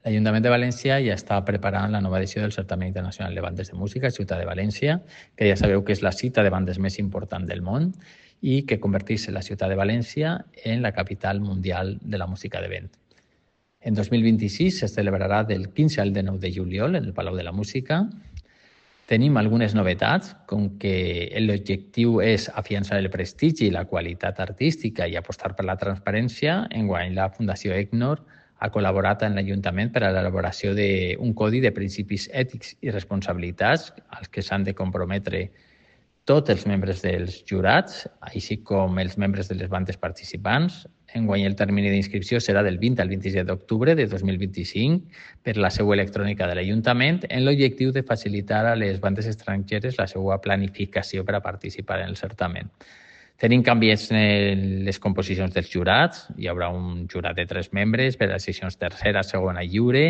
L'Ajuntament de València ja està preparant la nova edició del Certamen Internacional de Bandes de Música a Ciutat de València, que ja sabeu que és la cita de bandes més important del món i que converteix la ciutat de València en la capital mundial de la música de vent. En 2026 se celebrarà del 15 al 19 de juliol en el Palau de la Música. Tenim algunes novetats, com que l'objectiu és afiançar el prestigi i la qualitat artística i apostar per la transparència. Enguany, la Fundació ECNOR ha col·laborat amb l'Ajuntament per a l'elaboració d'un codi de principis ètics i responsabilitats als que s'han de comprometre tots els membres dels jurats, així com els membres de les bandes participants. Enguany el termini d'inscripció serà del 20 al 27 d'octubre de 2025 per la seu electrònica de l'Ajuntament, en l'objectiu de facilitar a les bandes estrangeres la seva planificació per a participar en el certamen. Tenim canvis en les composicions dels jurats. Hi haurà un jurat de 3 membres per a les seccions tercera, segona i lliure,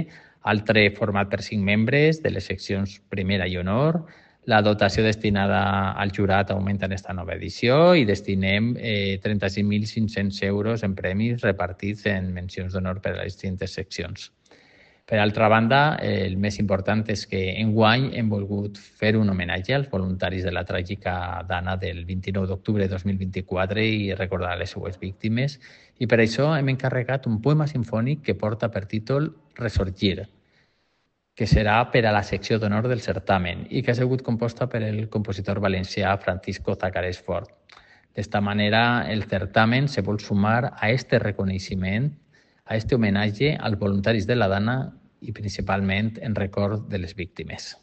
altre format per 5 membres de les seccions primera i honor. La dotació destinada al jurat augmenta en aquesta nova edició i destinem 35.500 euros en premis repartits en mencions d'honor per a les distintes seccions. Per altra banda, el més important és que enguany hem volgut fer un homenatge als voluntaris de la tràgica dana del 29 d'octubre de 2024 i recordar les seues víctimes. I per això hem encarregat un poema sinfònic que porta per títol Resorgir, que serà per a la secció d'honor del certamen i que ha sigut composta per el compositor valencià Francisco Zacarés Fort. D'esta manera, el certamen se vol sumar a este reconeixement, a este homenatge als voluntaris de la dana i principalment en record de les víctimes.